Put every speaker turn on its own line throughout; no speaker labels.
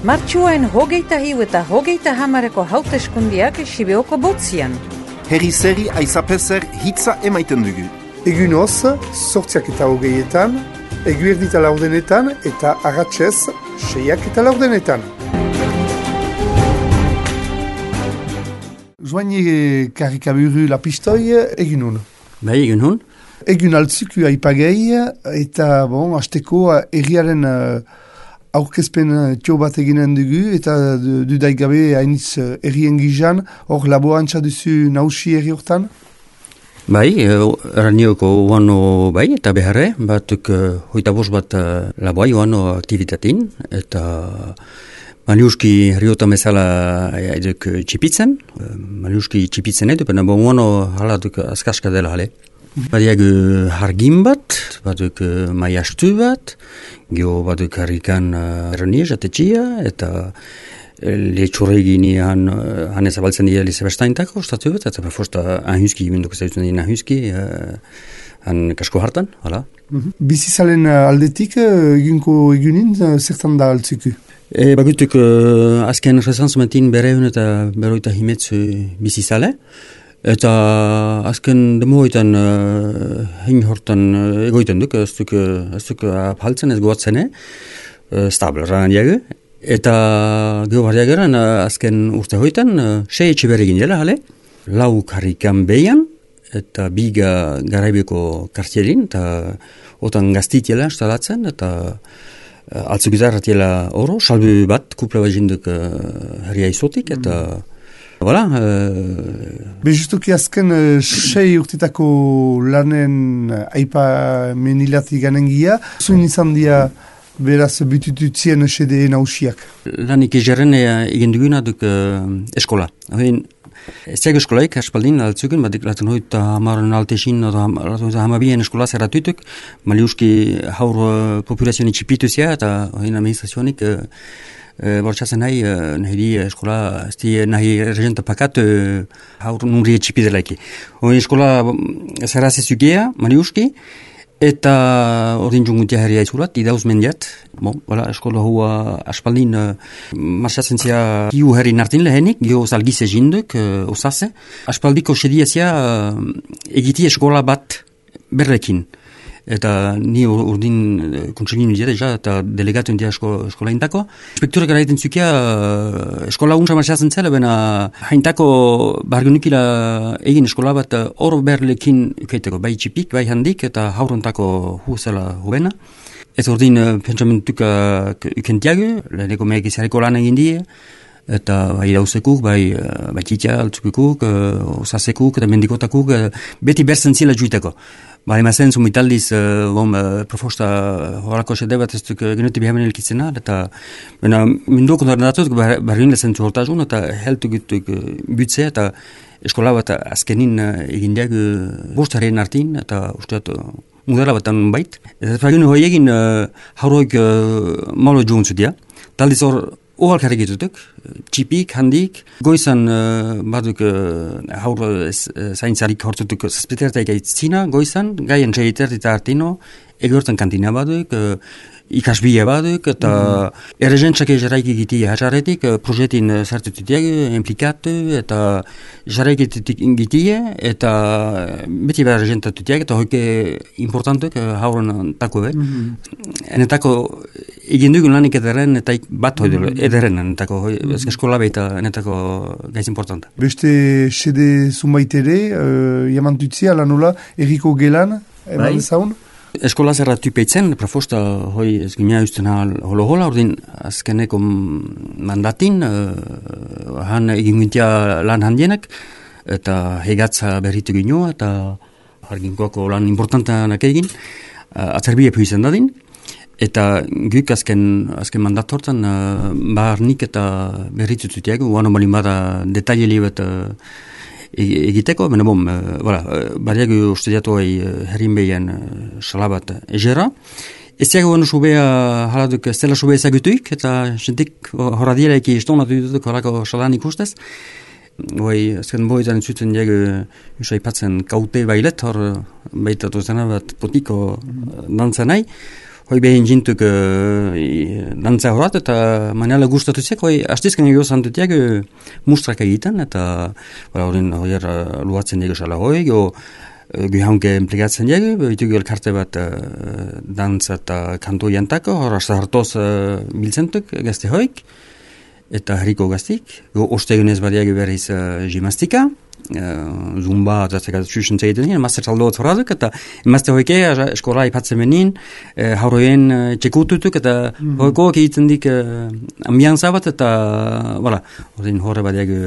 Martxuain hogeita hiu eta hogeita hamareko hauteskundiak Sibeoko botzian.
Herri zeri aizapezer hitza emaiten dugu.
Egunoz, 8:20, eguerdita laurdenetan eta arratsez 6:10. Joaini karikaburu lapistoi egunun.
Bai, egunun.
Egun altzuku aipagei eta hasteko erriaren aurkezpen tio bat eginen dugu eta dudaik gabe hainitz errien gizan, hor laborantza duzu nausi erri hortan?
Bai, eranioko uano bai eta beharre, batuk hoita bost bat laboai uano aktivitatin eta Maliuski herriota bezala eduk txipitzen, Maliuski txipitzen edu, baina uano haladuk askaska dela hale. Badiak hargin bat, baduk maiastu bat, geho baduk harrikan erroni jatetxia, eta lehitxurregini han ezabaltzen dira Lizabestaintako, ostatu bat, eta fosta anhuski, menduko zautzen dira anhuski, han kasko hartan, hala.
Bizizalen aldetik, egunko egunin, zertan da altzuku?
Bagutuk azken resanzmentin bereun eta beroita himetzu bizizale, eta azken demoetan hein hortan egoiten duk, ez duk apaltzen ez goatzene, stabel ranan diagu, eta geho bardiageran azken urte hoitan, sei etxe beregin dela, hale, lau karrikan behian, eta biga garaibeko kartierin, eta otan gaztitiela instalatzen, eta altzugizarratiela oro, salbu bat, kupla bat jinduk herria izotik, eta voilà.
Justuki azken sei urtetako lanen aipa menilati ganengia, zuin izan dia beraz butututzien sede nausiak?
Lanik egeren egin duguna duk eskola. Ez diag eskolaik, aspaldin altzuken, batik laten hoita hamaren altesin, hamabien eskola zerratutuk, Maliuski haur populazioni txipituzia, eta hoin administrazionik bortxatzen nahi eskola, nahi regenta pakat haur nunri txipidelaiki. Hoin eskola zerrazezugea, Maliuski, eta ordin jungutia herria izulat, idauz mendiat. Eskola hua aspaldin marxatzen zia hiu herri nartin lehenik, gio zalgize jinduk, osase. Aspaldiko sediazia egiti eskola bat berrekin. Eta ni urdin kontselinu dira, eta delegatuen dira eskola hintako. Inspekturak eraiten zukia eskola unsa marxatzen zela, baina haintako bargunikila egin eskola bat hor berlekin ukeiteko, bai txipik, bai handik, eta haurontako huzela hubena. Ez urdin pentsamentuk ukentiagu, leheneko megizareko lan egin die, eta bai dauzekuk, bai txitia altzukukuk, osasekuk, eta mendikotakuk, beti berzen zila juiteko. Bai, mazen zumitaldiz, profosta horako sede bat ez duk genuti bihamen elkitzena, eta minduko nordatuz, barrin lezen zuhortazun, eta heltu gutuk butzea, eta eskola bat azkenin egindeak bostaren artin, eta usteat mudara bat bait. Eta fagin hoi egin hauroik malo juntzutia, taldiz hor ohalkarrik ditutuk, txipik, handik, goizan baduk haur zaintzarik hortutuk zazpitertaik aitzina, goizan, gaien txeitertita artino, egortan kantina baduk, ikasbia baduk, eta errezentzak jarraik egiti hatxarretik, projetin zartututiak, implikatu, eta jarraik egiti, eta beti behar errezentatutiak, eta hoike importantuk hauren tako bet. Enetako egin dugun lanik ederen, eta bat hoi ederen, enetako eskola behita, enetako gaiz importanta.
Beste sede zumbait ere, jamantutzia lanola, erriko gelan, eman dezaun?
Eskola zerratu peitzen, profosta hoi ez gimea usten holo-hola, ordin azkeneko mandatin, han egin gintia lan handienak, eta hegatza berritu gino, eta harginkoako lan importantanak egin, atzerbie puizen dadin, eta guk azken mandat hortan, barnik eta berritu zutiago, uano balin bada detaile bat egiteko, baina bariago ustediatu herrin behian salabat egera. Ez diago beno subea haladuk estela subea ezagutuik, eta jentik horadiela eki estonatu ditutuk horako salan ikustez. Azken boizan zuten diago usaipatzen kaute bailet, hor baitatu zena bat potiko dantzanai. hoi behin jintuk dantza horat, eta manela gustatu zek, hoi astizken egio zantutiak mustrak egiten, eta horren luatzen egio sala hoi, Guhaunke implikatzen dugu, bitugu elkarte bat dantza eta kanto jantako, hor hartoz biltzentuk gazte hoik, eta herriko gaztik. Ostegunez badiago berriz gimnastika, zumba eta txusen zegiten dien, master taldo bat horaduk, eta emazte hoike eskola ipatzen benin, hauroen txekututuk, eta hoiko egiten dik ambianza bat, eta horrein horre badiago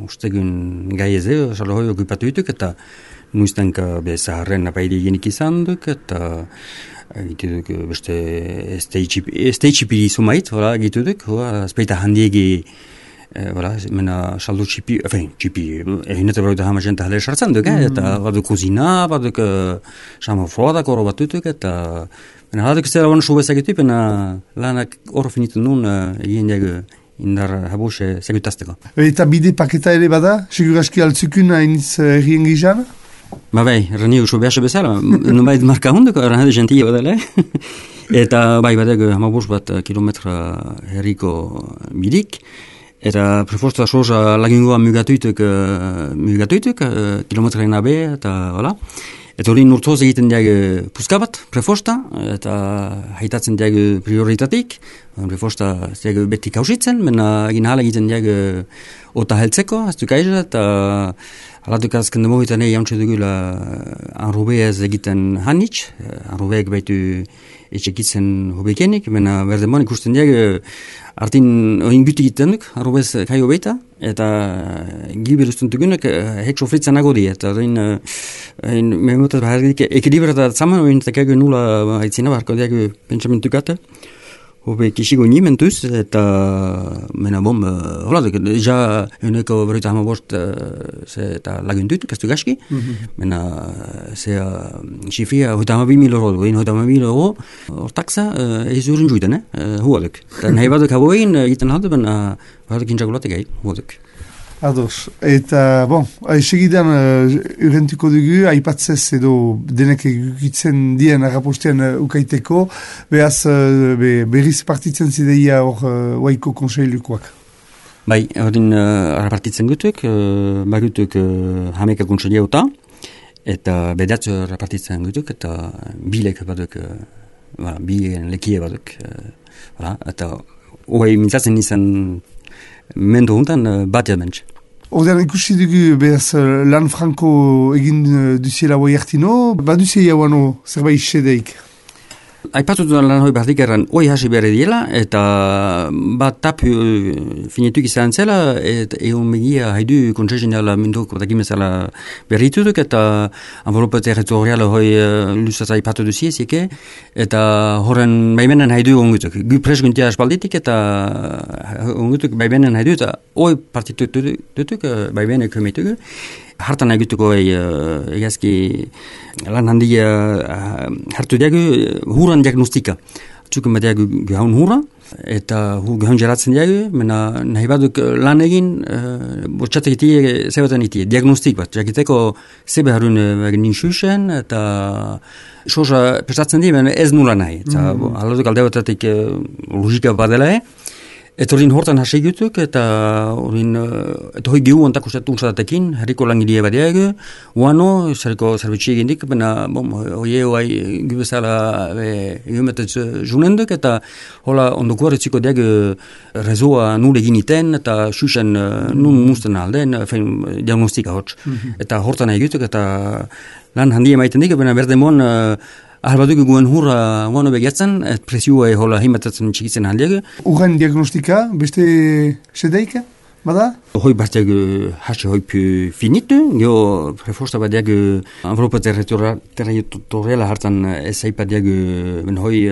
ostegun gai eze, salo hoi okupatu dituk, eta nuiztenka zaharren apaide genik izan duk, eta gitu duk beste stage-ipiri sumait, gitu duk, azpeita handiegi, mena saldo txipi, eginetan barauta hama jenta halera sartzen duk, eta baduk kuzina, baduk sama froadak oro bat dutuk, eta haladuk zela wana subezak etu, lanak oro finitu nun egin jago indar habuse segutazteko.
Eta bide paketa ere bada, seguraski altzukun hainiz errien gizan?
Bai, rani usu behasa bezala, nubait marka hunduko, rani gentia badala, eta badago hamabos bat kilometra herriko bidik, eta prefosta soza lagingoa mugatuituk, kilometra nabe, eta hola. Eta hori nurtoz egiten diag puska bat, prefosta, eta haitatzen diag prioritatik, prefosta diag beti kausitzen, mena egin hala egiten diag ota heltzeko, aztuk aiza, eta alatuk azken demohitan jauntze dugula anrubeaz egiten hanitz, anrubeak baitu etxekitzen hobekenik, mena berdemon ikusten diag artin oin guti egiten duk, anrubeaz kaio beita, eta gibiruzten dugunak hek sofritzen nago di, eta memotaz bahardik ekilibrata zaman oin takago nula aitzina barko diago pentsamentukate, hobe kisigo nimentuz, eta mena bom, hola, ja uneko berita hama bost eta lagundutuk, ez du gaski, mena xifria hoita hama 2.000 euro, hoita hama 2.000 euro, hortakza ez urin juiten, huaduk. Nahi baduk haboin egiten halde, mena baduk intxagulatik egin, huaduk.
Ados, eta, segidan urentuko dugu, aipatzez edo denek egitzen dien agapostean ukaiteko, behaz berriz partitzen zideia hor waiko konseilukoak.
Bai, horrein rapartitzen gutuk, bagutuk hameka konseilea eta bedatzu rapartitzen gutuk, eta bilek baduk, bi lekie baduk, eta hoi mintzatzen izan mendo hontan bat jadmentz.
Ordean ikusi dugu behaz lan franko egin duziela hoi hartino, baduzia jauano zerbait sedeik?
Aipatu duan lan hoi bardik erran hoi hasi behar diela, eta bat tap finetuk izan zela, eta egon megia haidu kontseizinala minduk batakimezala berritutuk, eta envelope territoriala hoi lusaz aipatu duziezike, eta horren baimenen haidu ongutuk. Gu presguntia espalditik, eta ongutuk baimenen haidu, eta hoi partituk dutuk, baimenek humeitugu. Hartan egituko egazki lan handia hartu diagu huran diagnostika. Txuken bat diagu gaun hura, eta gaun jeratzen diagu, mena nahi baduk lan egin, botxatek itie, zebatan itie, diagnostik bat. Jakiteko zebe harun egin xuxen, eta soza prestatzen di, ez nula nahi. Eta alatuk alde batatik logika badela eta horin hortan hasi gutuk, eta hoi gehu ontak ustatu unsatatekin, herriko langilia badiago, uano, zariko zerbitxi egin dik, bena, hoi gubezala egumetetz junenduk, eta hola ondoko horretziko diago rezoa nule egin iten, eta xuxen nun musten alden, diagnostika hotz. Eta hortan egutuk, eta lan handia maiten dik, bena berdemon, Ahal guen hurra guano begiatzen, presioa hola himatatzen txikitzen handiago.
Urren diagnostika, beste sedeika, bada?
Hoi bartiak hasi hoipu finitu, geho preforsta badiak envelope territoriala hartan ez aipadiak hoi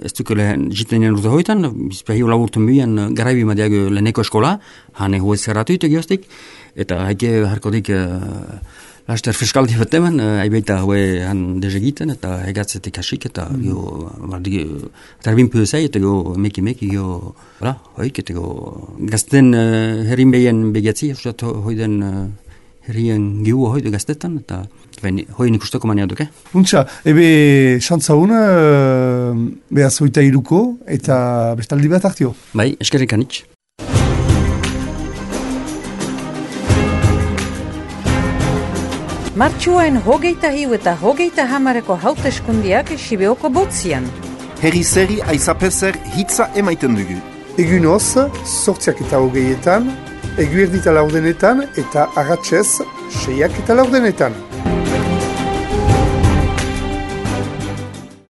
ez dukele jitenen urte hoitan, bizpehi laburten buian garaibi madiak leneko eskola, hane hoi zerratuitu geostik, eta haike harkodik laster fiskaldi bat eman, aibaita hoi han dezegiten, eta hegatzetik hasik, eta tarbin puzei, eta meki, hoik, eta gazten herrin behien begiatzi, hoi den herrien giua hoidu gaztetan, eta hoi nik usteko mania duke.
Untxa, ebe xantzaun, behaz 23ko, eta bestaldi bat hartio.
Bai, eskerrik anitz.
Martxuain 23 eta 30 hauteskundiak Sibeoko botzian.
Herri zeri aizapezer hitza emaiten dugu.
Egunoz, 8:20, eguerdita 4 eta arratsez 6:10.